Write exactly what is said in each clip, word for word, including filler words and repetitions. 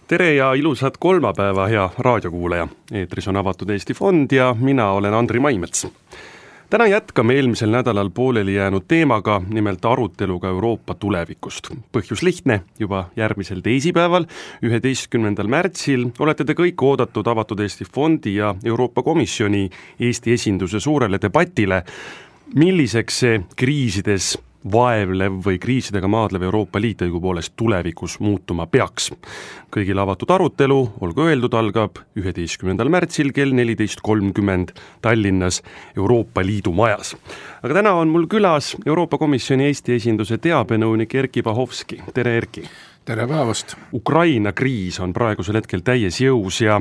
Tere ja ilusat kolmapäeva, hea raadiokuulaja. Eetris on Avatud Eesti Fond ja mina olen Andri Maimets. Täna jätkame eelmisel nädalal pooleli jäänud teemaga, nimelt aruteluga Euroopa tulevikust. Põhjus lihtne, juba järgmisel teisipäeval, üheteistkümnendal märtsil olete te kõik oodatud Avatud Eesti Fondi ja Euroopa Komisjoni Eesti esinduse suurele debatile, milliseks see kriisides vaevlev või kriisidega maadlev Euroopa Liit õigupoolest tulevikus muutuma peaks. Kõigil avatud arutelu, olgu öeldud, algab üheteistkümnendal märtsil kell neliteist kolmkümmend Tallinnas Euroopa Liidu majas. Aga täna on mul külas Euroopa Komisjoni Eesti esinduse teabenõunik Erkki Bahovski. Tere, Erkki! Tere päevast! Ukraina kriis on praegusel hetkel täies jõus ja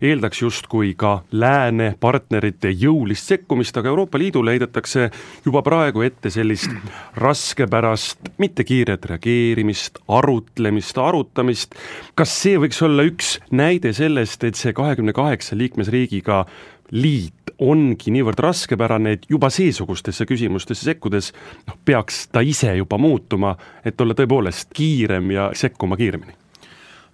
eeldaks justkui ka lääne partnerite jõulist sekkumist, aga Euroopa Liidule heidetakse juba praegu ette sellist raskepärast, mitte kiiret reageerimist, arutlemist, arutamist. Kas see võiks olla üks näide sellest, et see kahekümne kaheksa liikmesriigiga liit ongi niivõrd raskepärane, et juba seesugustesse küsimustesse sekkudes no, peaks ta ise juba muutuma, et olla tõepoolest kiirem ja sekkuma kiiremini?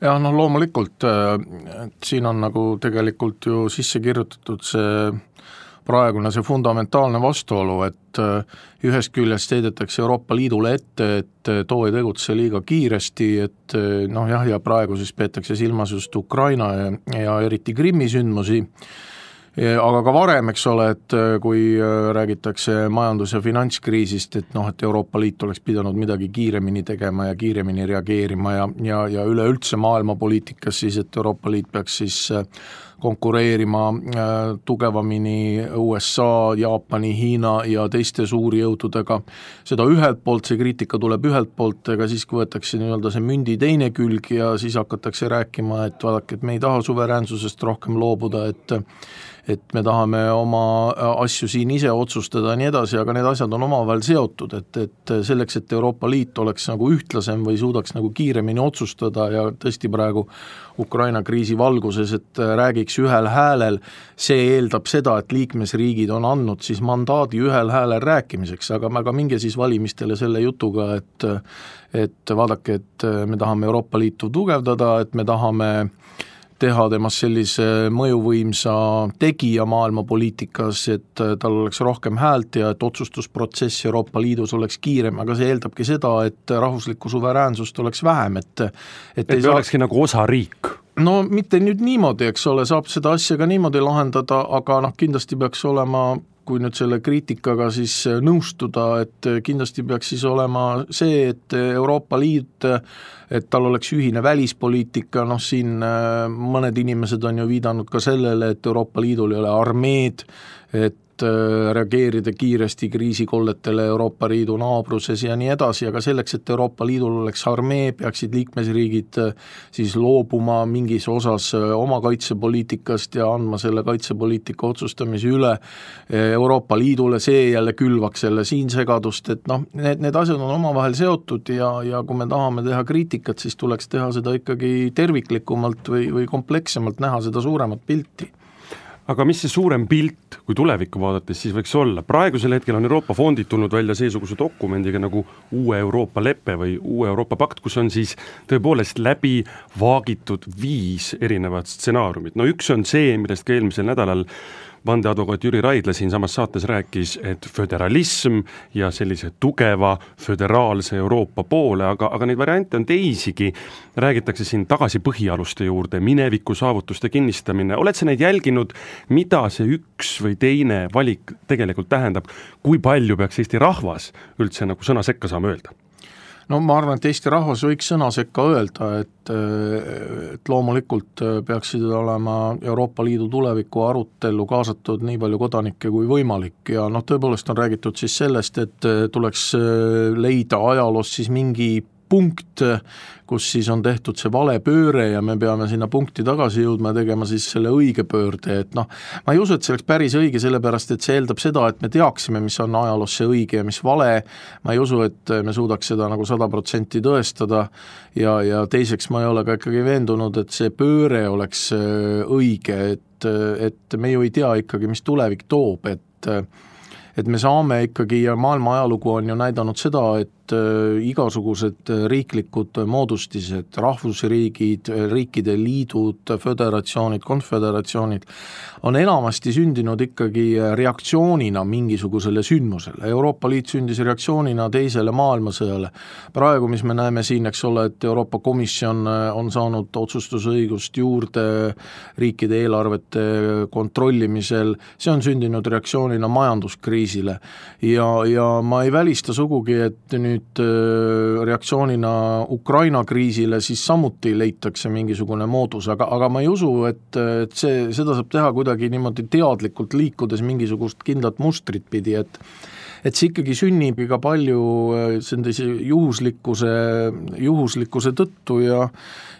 Ja no loomulikult, et siin on nagu tegelikult ju sisse kirjutatud see praegune see fundamentaalne vastuolu, et ühest küljest heidetakse Euroopa Liidule ette, et too ei tegutse liiga kiiresti, et noh jah, ja praegu siis peetakse silmas just Ukraina ja, ja eriti Krimmi sündmusi, aga ka varem, eks ole, et kui räägitakse majandus- ja finantskriisist, et noh, et Euroopa Liit oleks pidanud midagi kiiremini tegema ja kiiremini reageerima ja, ja, ja üleüldse maailmapoliitikas siis, et Euroopa Liit peaks siis konkureerima tugevamini U S A, Jaapani, Hiina ja teiste suuri jõududega. Seda ühelt poolt, see kriitika tuleb ühelt poolt, aga siis kui võetakse nii-öelda see mündi teine külg ja siis hakatakse rääkima, et vaadake, et me ei taha suveräänsusest rohkem loobuda, et et me tahame oma asju siin ise otsustada ja nii edasi, aga need asjad on omavahel seotud, et, et selleks, et Euroopa Liit oleks nagu ühtlasem või suudaks nagu kiiremini otsustada ja tõesti praegu Ukraina kriisi valguses, et räägiks ühel häälel, see eeldab seda, et liikmesriigid on andnud siis mandaadi ühel häälel rääkimiseks, aga, aga minge siis valimistele selle jutuga, et, et vaadake, et me tahame Euroopa Liitu tugevdada, et me tahame teha temast sellise mõjuvõimsa tegija maailmapoliitikas, et tal oleks rohkem häält ja et otsustusprotsess Euroopa Liidus oleks kiirem, aga see eeldabki seda, et rahvuslikku suveräänsust oleks vähem, et et, et ei saa... olekski nagu osariik. No mitte nüüd niimoodi, eks ole, saab seda asja ka niimoodi lahendada, aga noh, kindlasti peaks olema, kui nüüd selle kriitikaga siis nõustuda, et kindlasti peaks siis olema see, et Euroopa Liit, et tal oleks ühine välispoliitika, noh siin mõned inimesed on ju viidanud ka sellele, et Euroopa Liidul ei ole armeed, et reageerida kiiresti kriisikolletele Euroopa Liidu naabruses ja nii edasi, aga selleks, et Euroopa Liidul oleks armee, peaksid liikmesriigid siis loobuma mingis osas oma kaitsepoliitikast ja andma selle kaitsepoliitika otsustamise üle Euroopa Liidule, see jälle külvaks selle siin segadust, et noh, need, need asjad on omavahel seotud ja, ja kui me tahame teha kriitikat, siis tuleks teha seda ikkagi terviklikumalt või, või komplekssemalt näha seda suuremat pilti. Aga mis see suurem pilt, kui tulevikku vaadates, siis võiks olla? Praegusel hetkel on Euroopa fondid tulnud välja seesuguse dokumendiga nagu uue Euroopa leppe või uue Euroopa pakt, kus on siis tõepoolest läbi vaagitud viis erinevat stsenaariumit. No üks on see, millest ka eelmisel nädalal vandeadvokaat Jüri Raidla siin samas saates rääkis, et föderalism ja sellise tugeva föderaalse Euroopa poole, aga, aga neid variante on teisigi. Räägitakse siin tagasi põhialuste juurde, mineviku saavutuste kinnistamine. Oled sa neid jälginud, mida see üks või teine valik tegelikult tähendab? Kui palju peaks Eesti rahvas üldse nagu sõna sekka saama öelda? No ma arvan, et Eesti rahvas võiks sõna sekka öelda, et, et loomulikult peaksid olema Euroopa Liidu tuleviku arutellu kaasatud nii palju kodanikke kui võimalik ja noh, tõepoolest on räägitud siis sellest, et tuleks leida ajaloos siis mingi punkt, kus siis on tehtud see vale pööre ja me peame sinna punkti tagasi jõudma ja tegema siis selle õige pöörde, et noh, ma ei usu, et see oleks päris õige, sellepärast et see eeldab seda, et me teaksime, mis on ajaloos see õige ja mis vale, ma ei usu, et me suudaks seda nagu sada protsenti tõestada ja, ja teiseks ma ei ole ka ikkagi veendunud, et see pööre oleks õige, et, et me ju ei tea ikkagi, mis tulevik toob, et et me saame ikkagi ja maailma ajalugu on ju näidanud seda, et igasugused riiklikud moodustised, rahvusriigid, riikide liidud, föderatsioonid, konföderatsioonid on enamasti sündinud ikkagi reaktsioonina mingisugusele sündmusele. Euroopa Liit sündis reaktsioonina teisele maailmasõjale. Praegu, mis me näeme siin, eks ole, et Euroopa Komisjon on saanud otsustusõigust juurde riikide eelarvete kontrollimisel, see on sündinud reaktsioonina majanduskriisile ja, ja ma ei välista sugugi, et nüüd reaktsioonina Ukraina kriisile siis samuti leitakse mingisugune moodus, aga, aga ma ei usu, et, et see, seda saab teha kuidagi niimoodi teadlikult liikudes mingisugust kindlat mustrit pidi, et et see ikkagi sünnib iga palju sellise juhuslikkuse, juhuslikkuse tõttu ja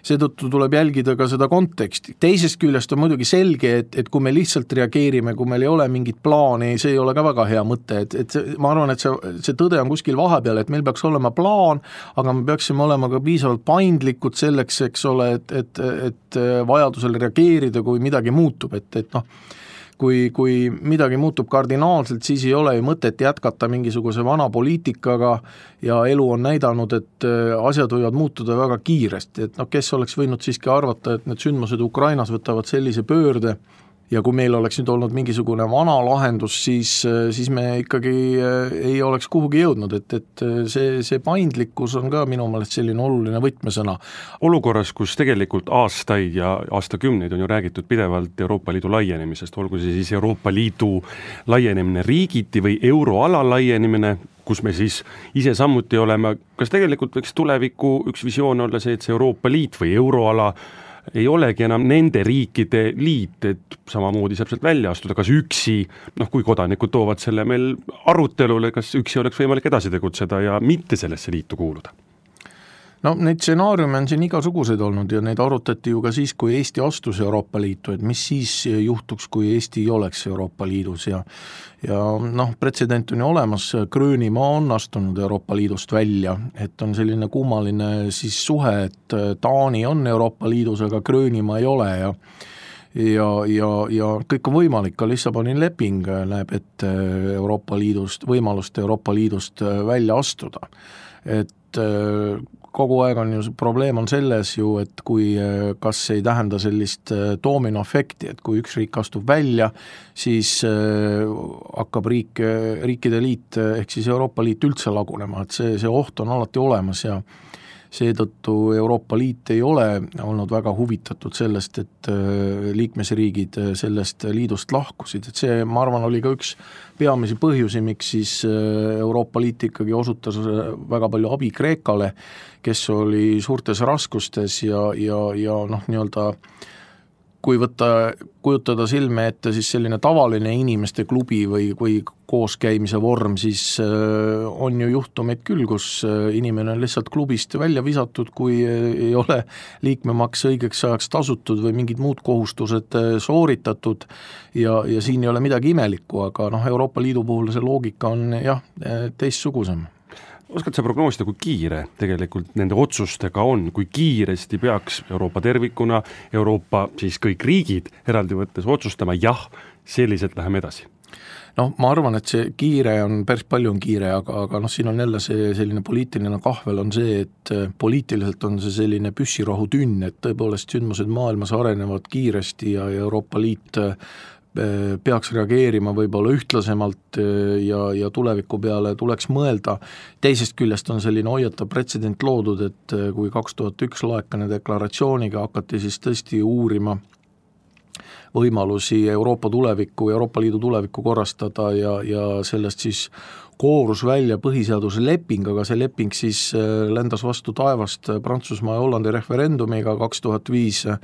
seetõttu tuleb jälgida ka seda konteksti. Teisest küljest on muidugi selge, et, et kui me lihtsalt reageerime, kui meil ei ole mingit plaani, see ei ole ka väga hea mõte, et, et see, ma arvan, et see, see tõde on kuskil vahepeal, et meil peaks olema plaan, aga me peaksime olema ka piisavalt paindlikud selleks, eks ole, et, et, et vajadusel reageerida, kui midagi muutub, et, et noh, Kui, kui midagi muutub kardinaalselt, siis ei ole ju mõtet jätkata mingisuguse vana poliitikaga ja elu on näidanud, et asjad võivad muutuda väga kiiresti, et noh, kes oleks võinud siiski arvata, et need sündmused Ukrainas võtavad sellise pöörde ja kui meil oleks nüüd olnud mingisugune vana lahendus, siis, siis me ikkagi ei oleks kuhugi jõudnud, et, et see, see paindlikkus on ka minu meelest selline oluline võtmesõna. Olukorras, kus tegelikult aastaid ja aastakümneid on ju räägitud pidevalt Euroopa Liidu laienemisest, olgu see siis Euroopa Liidu laienemine riigiti või euroala laienemine, kus me siis ise samuti oleme, kas tegelikult võiks tuleviku üks visioon olla see, et see Euroopa Liit või euroala ei olegi enam nende riikide liit, et samamoodi saab sealt välja astuda, kas üksi, noh kui kodanikud toovad selle meil arutelule, kas üksi oleks võimalik edasi tegutseda ja mitte sellesse liitu kuuluda? No neid stsenaariume on siin igasuguseid olnud ja neid arutati ju ka siis, kui Eesti astus Euroopa Liitu, et mis siis juhtuks, kui Eesti ei oleks Euroopa Liidus ja ja noh, pretsedent on ju olemas, Gröönimaa on astunud Euroopa Liidust välja, et on selline kummaline siis suhe, et Taani on Euroopa Liidus, aga Gröönimaa ei ole ja ja, ja, ja kõik on võimalik, ka Lissaboni leping näeb ette Euroopa Liidust, võimalust Euroopa Liidust välja astuda, et kogu aeg on ju, probleem on selles ju, et kui kas ei tähenda sellist doominoefekti, et kui üks riik astub välja, siis hakkab riik, riikide liit ehk siis Euroopa Liit üldse lagunema, et see, see oht on alati olemas ja seetõttu Euroopa Liit ei ole olnud väga huvitatud sellest, et liikmesriigid sellest liidust lahkusid, et see, ma arvan, oli ka üks peamisi põhjusi, miks siis Euroopa Liit ikkagi osutas väga palju abi Kreekale, kes oli suurtes raskustes ja, ja, ja noh, nii-öelda kui võtta, kujutada silme ette siis selline tavaline inimeste klubi või, või kooskäimise vorm, siis on ju juhtumeid küll, kus inimene on lihtsalt klubist välja visatud, kui ei ole liikmemaks õigeks ajaks tasutud või mingid muud kohustused sooritatud ja, ja siin ei ole midagi imelikku, aga noh, Euroopa Liidu puhul see loogika on jah, teistsugusem. Oskad sa prognoosida, kui kiire tegelikult nende otsustega on, kui kiiresti peaks Euroopa tervikuna, Euroopa siis kõik riigid eraldi võttes otsustama, jah, selliselt läheme edasi? noh, ma arvan, et see kiire on, päris palju on kiire, aga, aga noh, siin on jälle see selline poliitiline kahvel on see, et poliitiliselt on see selline püssirohutünn, et tõepoolest sündmused maailmas arenevad kiiresti ja Euroopa Liit peaks reageerima võib-olla ühtlasemalt ja, ja tuleviku peale tuleks mõelda. Teisest küljest on selline hoiatav pretsedent loodud, et kui kaks tuhat üks laekane deklaratsiooniga hakati siis tõesti uurima võimalusi Euroopa tulevikku, Euroopa Liidu tulevikku korrastada ja, ja sellest siis koorus välja põhiseaduse leping, aga see leping siis lendas vastu taevast Prantsusmaa ja Hollandi referendumiga kaks tuhat viis ja,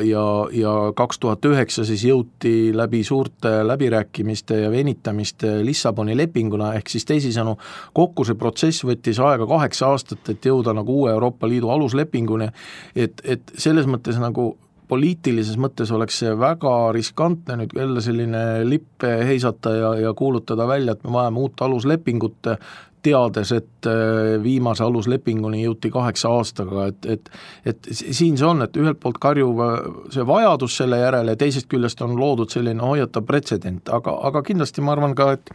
ja, ja kaks tuhat üheksa siis jõuti läbi suurte läbirääkimiste ja venitamiste Lissaboni lepinguna, ehk siis teisisõnu kokku see protsess võttis aega kaheksa aastat, et jõuda nagu uue Euroopa Liidu aluslepinguni, et, et selles mõttes nagu poliitilises mõttes oleks see väga riskantne nüüd jälle selline lippe heisata ja, ja kuulutada välja, et me vajame uut aluslepingut, teades, et viimase aluslepinguni jõuti kaheksa aastaga, et, et, et siin see on, et ühelt poolt karjuv see vajadus selle järele ja teisest küljest on loodud selline hoiatav pretsedent, aga, aga kindlasti ma arvan ka, et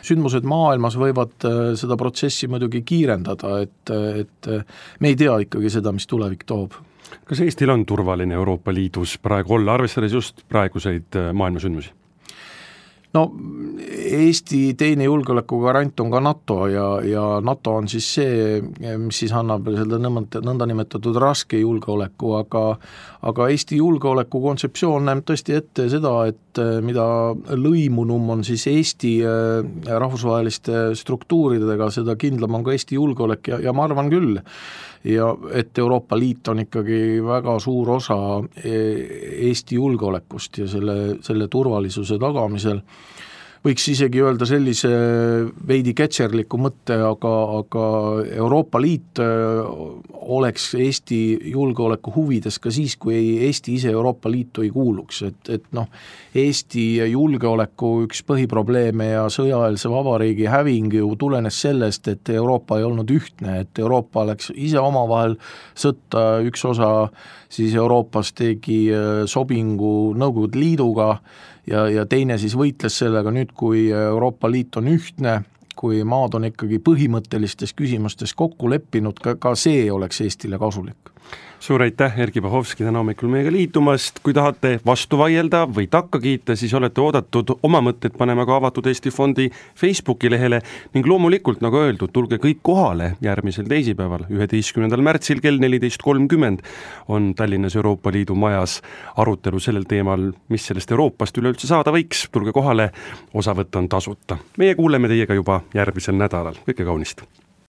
sündmused maailmas võivad seda protsessi muidugi kiirendada, et, et me ei tea ikkagi seda, mis tulevik toob. Kas Eestil on turvaline Euroopa Liidus praegu olla, arvestades just praeguseid maailmasündmusi? No Eesti teine julgeoleku garant on ka NATO ja, ja NATO on siis see, mis siis annab selle nõnda nimetatud raske julgeoleku, aga, aga Eesti julgeoleku kontseptsioon näeb tõesti ette seda, et mida lõimunum on siis Eesti rahvusvaheliste struktuuridega, seda kindlam on ka Eesti julgeolek ja, ja ma arvan küll, ja et Euroopa Liit on ikkagi väga suur osa Eesti julgeolekust ja selle, selle turvalisuse tagamisel. Võiks isegi öelda sellise veidi ketšerliku mõtte, aga, aga Euroopa Liit oleks Eesti julgeoleku huvides ka siis, kui Eesti ise Euroopa Liitu ei kuuluks. Et, et noh, Eesti julgeoleku üks põhiprobleeme ja sõjaeelse vabariigi häving ju tulenes sellest, et Euroopa ei olnud ühtne, et Euroopa läks ise omavahel sõtta, üks osa siis Euroopas tegi sobingu Nõukogude Liiduga ja, ja teine siis võitles sellega. Nüüd, kui Euroopa Liit on ühtne, kui maad on ikkagi põhimõttelistes küsimustes kokku leppinud, ka, ka see oleks Eestile kasulik. Suur aitäh, Erki Bahovski, täna hommikul meiega liitumast. Kui tahate vastu vaielda või takka kiita, siis olete oodatud oma mõtted panema ka Avatud Eesti Fondi Facebooki lehele ning loomulikult, nagu öeldud, tulge kõik kohale järgmisel teisipäeval, üheteistkümnendal märtsil kell neliteist kolmkümmend on Tallinnas Euroopa Liidu majas arutelu sellel teemal, mis sellest Euroopast üleüldse saada võiks. Tulge kohale, osavõtt on tasuta. Meie kuuleme teiega juba järgmisel nädalal. Kõike kaunist!